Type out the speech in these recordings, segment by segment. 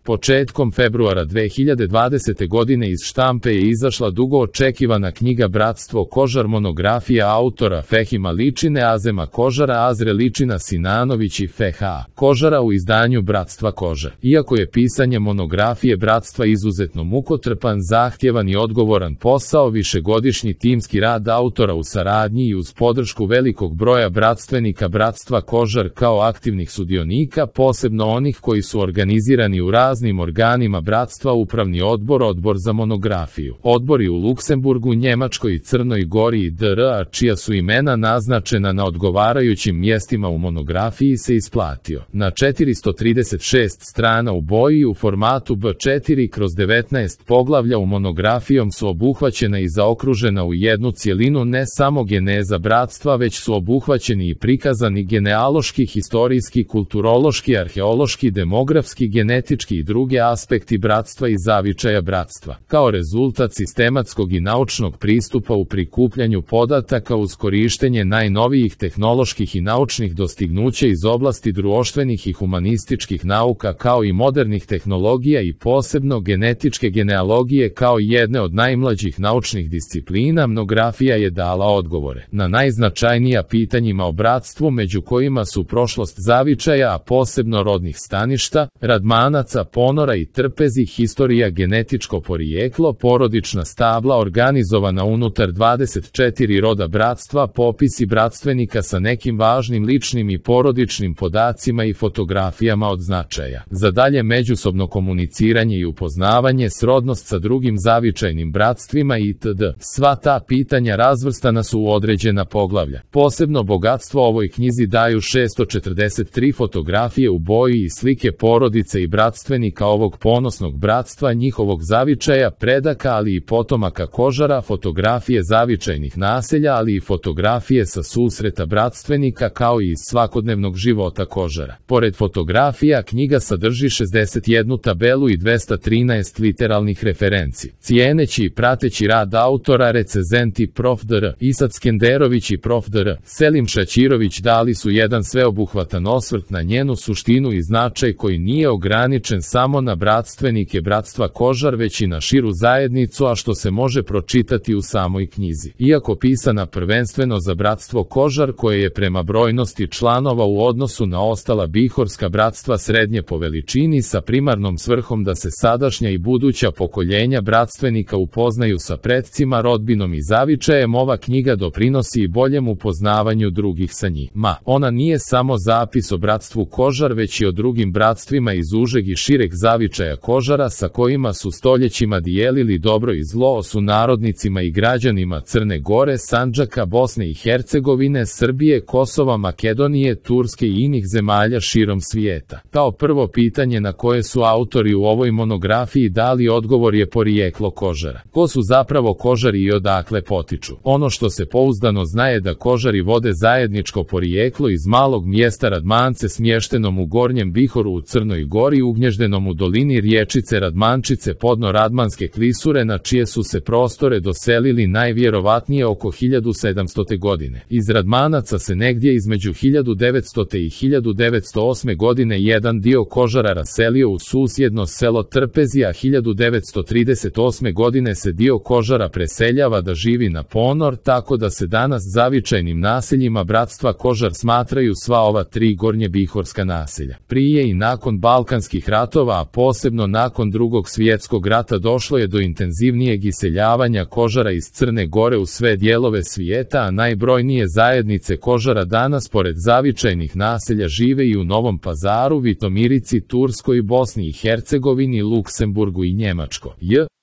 Početkom februara 2020. godine iz štampe je izašla dugo očekivana knjiga Bratstvo Kožar, monografija autora Fehima Ličine, Azema Kožara, Azre Ličina Sinanović i Feha Kožara u izdanju Bratstva Kožar. Iako je pisanje monografije bratstva izuzetno mukotrpan, zahtjevan i odgovoran posao, višegodišnji timski rad autora u saradnji i uz podršku velikog broja bratstvenika Bratstva Kožar kao aktivnih sudionika, posebno onih koji su organizirani u raznim organima bratstva, upravni odbor, odbor za monografiju, odbori u Luksemburgu, Njemačkoj i Crnoj Gori i dr., a čija su imena naznačena na odgovarajućim mjestima u monografiji, se isplatio. Na 436 strana u boji u formatu B4/19 poglavlja u monografijom su obuhvaćena i zaokružena u jednu cjelinu ne samo geneza bratstva, već su obuhvaćeni i prikazani genealoški, historijski, kulturološki, arheološki, demografski, genetički i druge aspekti bratstva i zavičaja bratstva. Kao rezultat sistematskog i naučnog pristupa u prikupljanju podataka uz korištenje najnovijih tehnoloških i naučnih dostignuća iz oblasti društvenih i humanističkih nauka, kao i modernih tehnologija i posebno genetičke genealogije kao jedne od najmlađih naučnih disciplina, monografija je dala odgovore na najznačajnija pitanjima o bratstvu, među kojima su prošlost zavičaja, a posebno rodnih staništa, Radmanaca, Ponora i Trpezi, historija, genetičko porijeklo, porodična stabla organizovana unutar 24 roda bratstva, popisi bratstvenika sa nekim važnim ličnim i porodičnim podacima i fotografijama od značaja za dalje međusobno komuniciranje i upoznavanje, srodnost sa drugim zavičajnim bratstvima itd. Sva ta pitanja razvrstana su u određena poglavlja. Posebno bogatstvo ovoj knjizi daju 643 fotografije u boji i slike porodice i bratstvenika ovog ponosnog bratstva, njihovog zavičaja, predaka, ali i potomaka Kožara, fotografije zavičajnih naselja, ali i fotografije sa susreta bratstvenika kao i iz svakodnevnog života Kožara. Pored fotografija, knjiga sadrži 61 tabelu i 213 literalnih referenci. Cijeneći i prateći rad autora, recenzenti prof. dr. Isat Skenderović i prof. dr. Selim Šaćirović dali su jedan sveobuhvatan osvrt na njenu suštinu i značaj koji nije ograničen samo na bratstvenike Bratstva Kožar, već i na širu zajednicu, a što se može pročitati u samoj knjizi. Iako pisana prvenstveno za Bratstvo Kožar, koje je prema brojnosti članova u odnosu na ostala bihorska bratstva srednje po veličini, sa primarnom svrhom da se sadašnja i buduća pokoljenja bratstvenika upoznaju sa pretcima, rodbinom i zavičajem, ova knjiga doprinosi i boljem upoznavanju drugih sa njima. Ona nije samo zapis o Bratstvu Kožar, već i o drugim bratstvima iz užeg i šireg zavičaja Kožara, sa kojima su stoljećima dijelili dobro i zlo, o sunarodnicima i građanima Crne Gore, Sandžaka, Bosne i Hercegovine, Srbije, Kosova, Makedonije, Turske i inih zemalja širom svijeta. Kao prvo pitanje na koje su autori u ovoj monografiji dali odgovor je porijeklo Kožara. Ko su zapravo Kožari i odakle potiču? Ono što se pouzdano zna je da Kožari vode zajedničko porijeklo iz malog mjesta Radmance smještenom u Gornjem Bihoru u Crnoj Gori, ugnježdenom u dolini riječice Radmančice podno Radmanske klisure, na čije su se prostore doselili najvjerovatnije oko 1700. godine. Iz Radmanaca se negdje između 1900. i 1908. godine jedan dio Kožara raselio u susjedno selo Trpezi, a 1938. godine se dio Kožara preseljava da živi na Ponor, tako da se danas zavičajnim naseljima Bratstva Kožar smatraju sva ova tri gornjebihorska naselja. Prije i nakon Balkanskih ratova, a posebno nakon Drugog svjetskog rata, došlo je do intenzivnijeg iseljavanja Kožara iz Crne Gore u sve dijelove svijeta, a najbrojnije zajednice Kožara danas pored zavičajnih naselja žive i u Novom Pazaru, Vitomirici, Turskoj, Bosni i Hercegovini, Luksemburgu i Njemačkoj.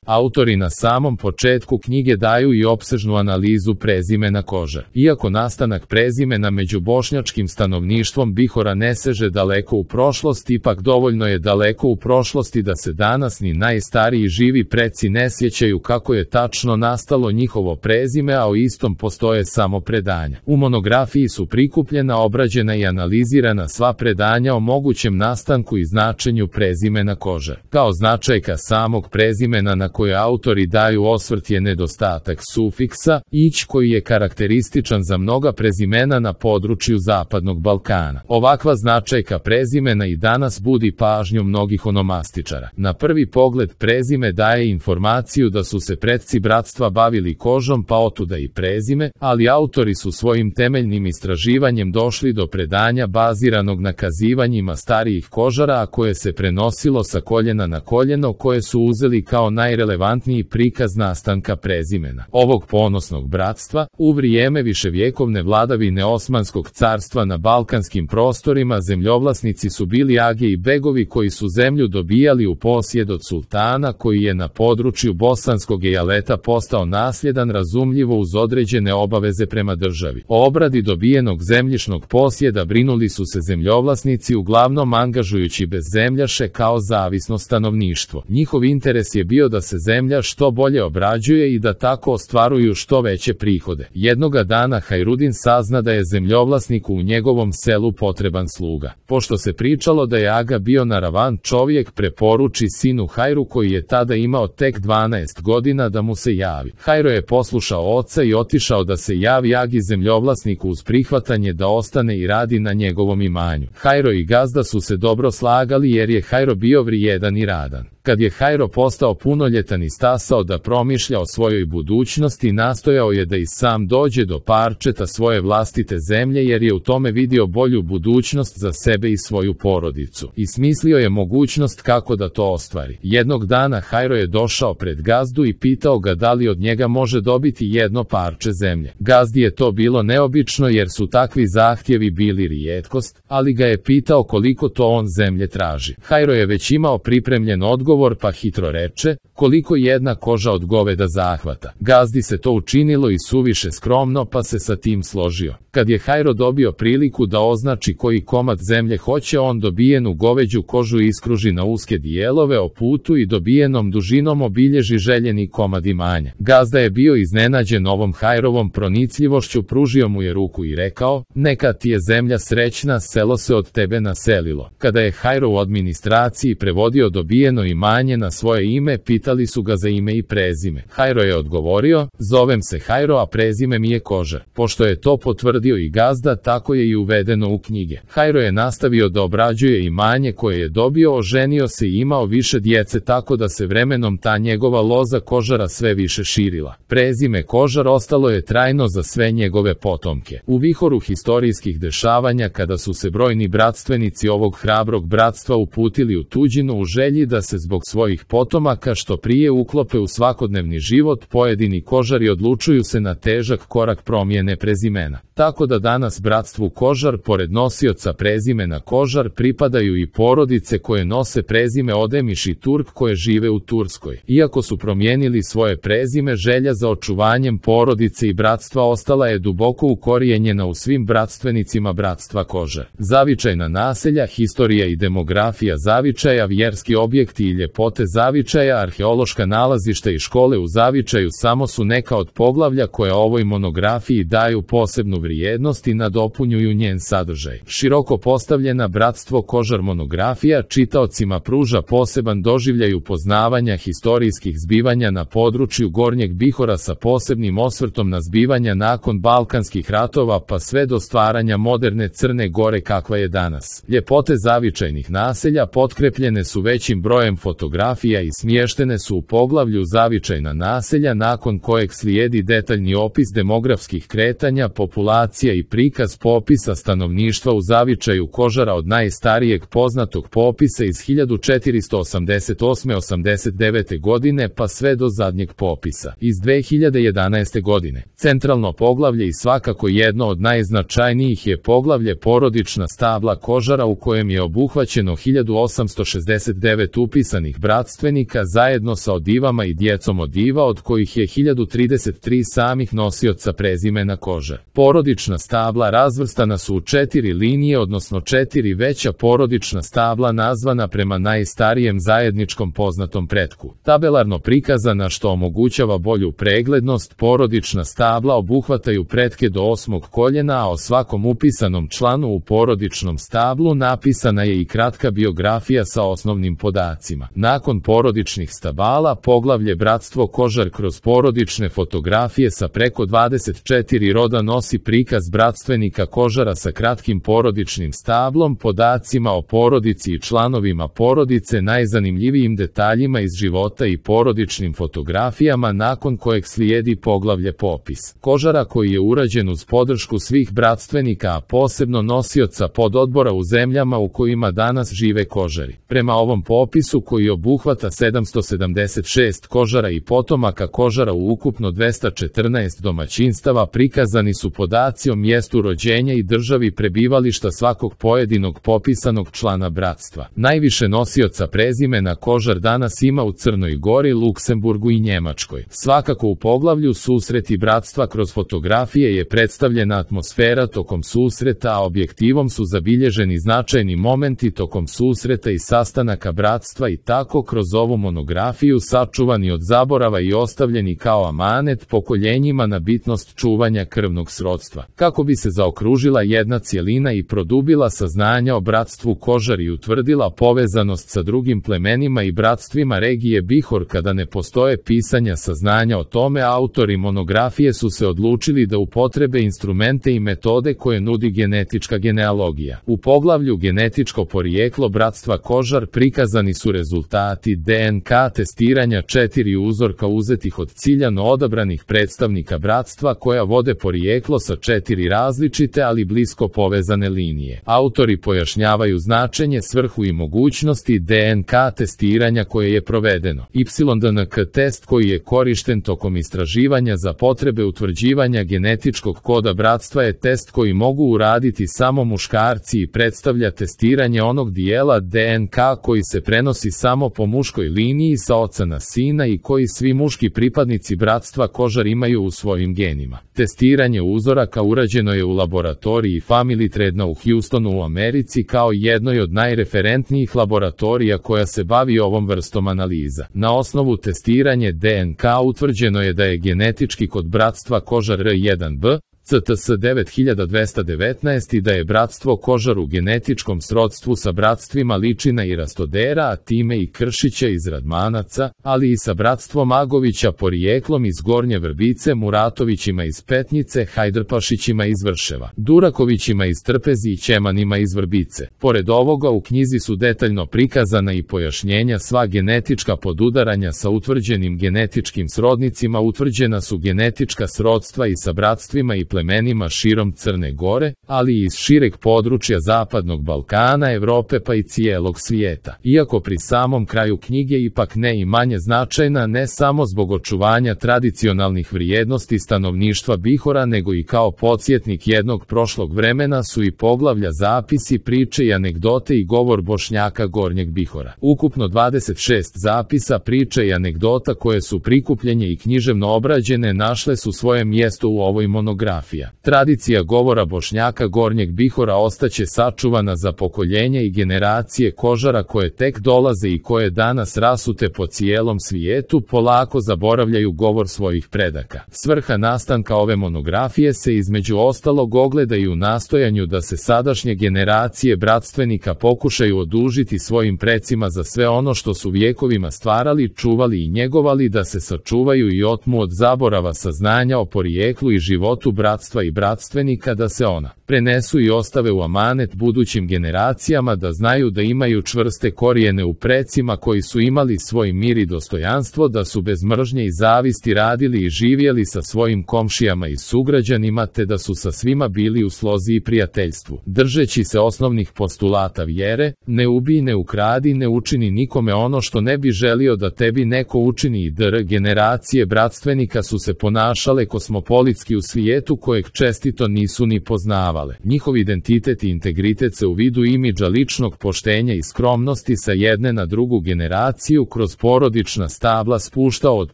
Autori na samom početku knjige daju i opsežnu analizu prezimena Kožar. Iako nastanak prezimena među bošnjačkim stanovništvom Bihora ne seže daleko u prošlost, ipak dovoljno je daleko u prošlosti da se danas ni najstariji živi preci ne sjećaju kako je tačno nastalo njihovo prezime, a o istom postoje samo predanja. U monografiji su prikupljena, obrađena i analizirana sva predanja o mogućem nastanku i značenju prezimena Kožar. Kao značajka samog prezimena na kojoj autori daju osvrt je nedostatak sufiksa ić koji je karakterističan za mnoga prezimena na području Zapadnog Balkana. Ovakva značajka prezimena i danas budi pažnju mnogih onomastičara. Na prvi pogled prezime daje informaciju da su se predci bratstva bavili kožom, pa otuda i prezime, ali autori su svojim temeljnim istraživanjem došli do predanja baziranog na kazivanjima starijih kožara, a koje se prenosilo sa koljena na koljeno, koje su uzeli kao najrelevantniji prikaz nastanka prezimena ovog ponosnog bratstva. U vrijeme viševjekovne vladavine Osmanskog carstva na balkanskim prostorima zemljovlasnici su bili age i begovi koji su zemlju dobijali u posjed od sultana, koji je na području bosanskog ejaleta postao nasljedan, razumljivo uz određene obaveze prema državi. O obradi dobijenog zemljišnog posjeda brinuli su se zemljovlasnici, uglavnom angažujući bezzemljaše kao zavisno stanovništvo. Njihov interes je bio da se zemlja što bolje obrađuje i da tako ostvaruju što veće prihode. Jednoga dana Hajrudin sazna da je zemljovlasniku u njegovom selu potreban sluga. Pošto se pričalo da je aga bio naravan čovjek, preporuči sinu Hajru, koji je tada imao tek 12 godina, da mu se javi. Hajro je poslušao oca i otišao da se javi agi zemljovlasniku uz prihvatanje da ostane i radi na njegovom imanju. Hajro i gazda su se dobro slagali jer je Hajro bio vrijedan i radan. Kad je Hajro postao punoljetan i stasao da promišlja o svojoj budućnosti, nastojao je da i sam dođe do parčeta svoje vlastite zemlje, jer je u tome vidio bolju budućnost za sebe i svoju porodicu. I smislio je mogućnost kako da to ostvari. Jednog dana Hajro je došao pred gazdu i pitao ga da li od njega može dobiti jedno parče zemlje. Gazdi je to bilo neobično jer su takvi zahtjevi bili rijetkost, ali ga je pitao koliko to on zemlje traži. Hajro je već imao pripremljen odgovor, pa hitro reče, koliko jedna koža od goveda zahvata. Gazdi se to učinilo i suviše skromno, pa se sa tim složio. Kad je Hajro dobio priliku da označi koji komad zemlje hoće, on dobijenu goveđu kožu iskruži na uske dijelove o putu i dobijenom dužinom obilježi željeni komad imanja. Gazda je bio iznenađen ovom Hajrovom pronicljivošću, pružio mu je ruku i rekao, neka ti je zemlja srećna, selo se od tebe naselilo. Kada je Hajro u administraciji prevodio dobijeno imanje na svoje ime, pitali su ga za ime i prezime. Hajro je odgovorio, zovem se Hajro, a prezime mi je Kožar. Pošto je to potvrdio i gazda, tako je i uvedeno u knjige. Hajro je nastavio da obrađuje imanje koje je dobio, oženio se i imao više djece, tako da se vremenom ta njegova loza Kožara sve više širila. Prezime Kožar ostalo je trajno za sve njegove potomke. U vihoru historijskih dešavanja, kada su se brojni bratstvenici ovog hrabrog bratstva uputili u tuđinu u želji da se zbog svojih potomaka što prije uklope u svakodnevni život, pojedini Kožari odlučuju se na težak korak promjene prezimena. Tako da danas bratstvu Kožar, pored nosioca prezimena Kožar, pripadaju i porodice koje nose prezime Odemiš i Turk, koje žive u Turskoj. Iako su promijenili svoje prezime, želja za očuvanjem porodice i bratstva ostala je duboko ukorijenjena u svim bratstvenicima bratstva Kožar. Zavičajna naselja, historija i demografija Zavičaja, vjerski objekti i ljepote Zavičaja, arheološka nalazišta i škole u Zavičaju samo su neka od poglavlja koje ovoj monografiji daju posebnu vrijednost i nadopunjuju njen sadržaj. Široko postavljena bratstvo Kožar monografija čitaocima pruža poseban doživljaj upoznavanja historijskih zbivanja na području Gornjeg Bihora sa posebnim osvrtom na zbivanja nakon Balkanskih ratova pa sve do stvaranja moderne Crne Gore kakva je danas. Ljepote zavičajnih naselja potkrepljene su većim brojem fotografija i smještene su u poglavlju Zavičajna naselja, nakon kojeg slijedi detaljni opis demografskih kretanja, populacija i prikaz popisa stanovništva u Zavičaju Kožara od najstarijeg poznatog popisa iz 1488-89. godine pa sve do zadnjeg popisa iz 2011. godine. Centralno poglavlje i svakako jedno od najznačajnijih je poglavlje Porodična stabla Kožara, u kojem je obuhvaćeno 1869 upisanih bratstvenika zajedno sa odivama i djecom odiva, od kojih je 1033 samih nosioca prezimena Kožar. Porodična stabla razvrstana su u 4 linije, odnosno 4 veća porodična stabla nazvana prema najstarijem zajedničkom poznatom pretku. Tabelarno prikazana, što omogućava bolju preglednost, porodična stabla obuhvataju pretke do 8. koljena, a o svakom upisanom članu u porodičnom stablu napisana je i kratka biografija sa osnovnim podacima. bratstvima. Nakon porodičnih stabala, poglavlje Bratstvo Kožar kroz porodične fotografije sa preko 24 roda nosi prikaz bratstvenika Kožara sa kratkim porodičnim stablom, podacima o porodici i članovima porodice, najzanimljivijim detaljima iz života i porodičnim fotografijama, nakon kojeg slijedi poglavlje Popis Kožara koji je urađen uz podršku svih bratstvenika, a posebno nosioca pododbora u zemljama u kojima danas žive Kožari. Prema ovom popisu, koji obuhvata 776 Kožara i potomaka Kožara u ukupno 214 domaćinstava, prikazani su podaci o mjestu rođenja i državi prebivališta svakog pojedinog popisanog člana bratstva. Najviše nosioca prezimena Kožar danas ima u Crnoj Gori, Luksemburgu i Njemačkoj. Svakako u poglavlju Susreti bratstva kroz fotografije je predstavljena atmosfera tokom susreta, a objektivom su zabilježeni značajni momenti tokom susreta i sastanaka bratstva i tako kroz ovu monografiju sačuvani od zaborava i ostavljeni kao amanet pokoljenjima na bitnost čuvanja krvnog srodstva. Kako bi se zaokružila jedna cjelina i produbila saznanja o bratstvu Kožar i utvrdila povezanost sa drugim plemenima i bratstvima regije Bihor, kada ne postoje pisanja saznanja o tome, autori monografije su se odlučili da upotrebe instrumente i metode koje nudi genetička genealogija. U poglavlju Genetičko porijeklo bratstva Kožar prikazani su rezultati DNK testiranja 4 uzorka uzetih od ciljano odabranih predstavnika bratstva koja vode porijeklo sa 4 različite ali blisko povezane linije. Autori pojašnjavaju značenje, svrhu i mogućnosti DNK testiranja koje je provedeno. YDNK test koji je korišten tokom istraživanja za potrebe utvrđivanja genetičkog koda bratstva je test koji mogu uraditi samo muškarci i predstavlja testiranje onog dijela DNK koji se prenosi samo po muškoj liniji sa oca na sina i koji svi muški pripadnici bratstva Kožar imaju u svojim genima. Testiranje uzoraka urađeno je u laboratoriji Family Trade u Houstonu u Americi kao jednoj od najreferentnijih laboratorija koja se bavi ovom vrstom analiza. Na osnovu testiranje DNK utvrđeno je da je genetički kod bratstva Kožar R1b CTS 9219 i da je bratstvo Kožar u genetičkom srodstvu sa bratstvima Ličina i Rastodera, a time i Kršića iz Radmanaca, ali i sa bratstvom Agovića porijeklom iz Gornje Vrbice, Muratovićima iz Petnice, Hajdrpašićima iz Vrševa, Durakovićima iz Trpezi i Ćemanima iz Vrbice. Pored ovoga u knjizi su detaljno prikazana i pojašnjenja sva genetička podudaranja sa utvrđenim genetičkim srodnicima, utvrđena su genetička srodstva i sa bratstvima i plemenima širom Crne Gore, ali i iz šireg područja Zapadnog Balkana, Evrope pa i cijelog svijeta. Iako pri samom kraju knjige ipak ne i manje značajna, ne samo zbog očuvanja tradicionalnih vrijednosti stanovništva Bihora, nego i kao podsjetnik jednog prošlog vremena su i poglavlja Zapisi, priče i anegdote i govor Bošnjaka Gornjeg Bihora. Ukupno 26 zapisa, priče i anegdota koje su prikupljenje i književno obrađene našle su svoje mjesto u ovoj monografiji. Tradicija govora Bošnjaka Gornjeg Bihora ostaće sačuvana za pokoljenja i generacije Kožara koje tek dolaze i koje danas rasute po cijelom svijetu polako zaboravljaju govor svojih predaka. Svrha nastanka ove monografije se između ostalog ogleda i u nastojanju da se sadašnje generacije bratstvenika pokušaju odužiti svojim precima za sve ono što su vjekovima stvarali, čuvali i njegovali, da se sačuvaju i otmu od zaborava saznanja o porijeklu i životu bratstva i bratstvenika, da se ona prenesu i ostave u amanet budućim generacijama, da znaju da imaju čvrste korijene u precima koji su imali svoj mir i dostojanstvo, da su bez mržnje i zavisti radili i živjeli sa svojim komšijama i sugrađanima, te da su sa svima bili u slozi i prijateljstvu. Držeći se osnovnih postulata vjere, ne ubij, ne ukradi, ne učini nikome ono što ne bi želio da tebi neko učini, i generacije bratstvenika su se ponašale kosmopolitski u svijetu kojeg čestito nisu ni poznavale. Njihov identitet i integritet se u vidu imidža ličnog poštenja i skromnosti sa jedne na drugu generaciju kroz porodična stabla spuštao od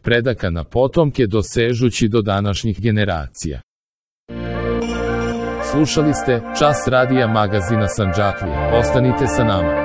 predaka na potomke dosežući do današnjih generacija. Slušali ste Čas radija magazina Sandžaklija. Ostanite sa nama.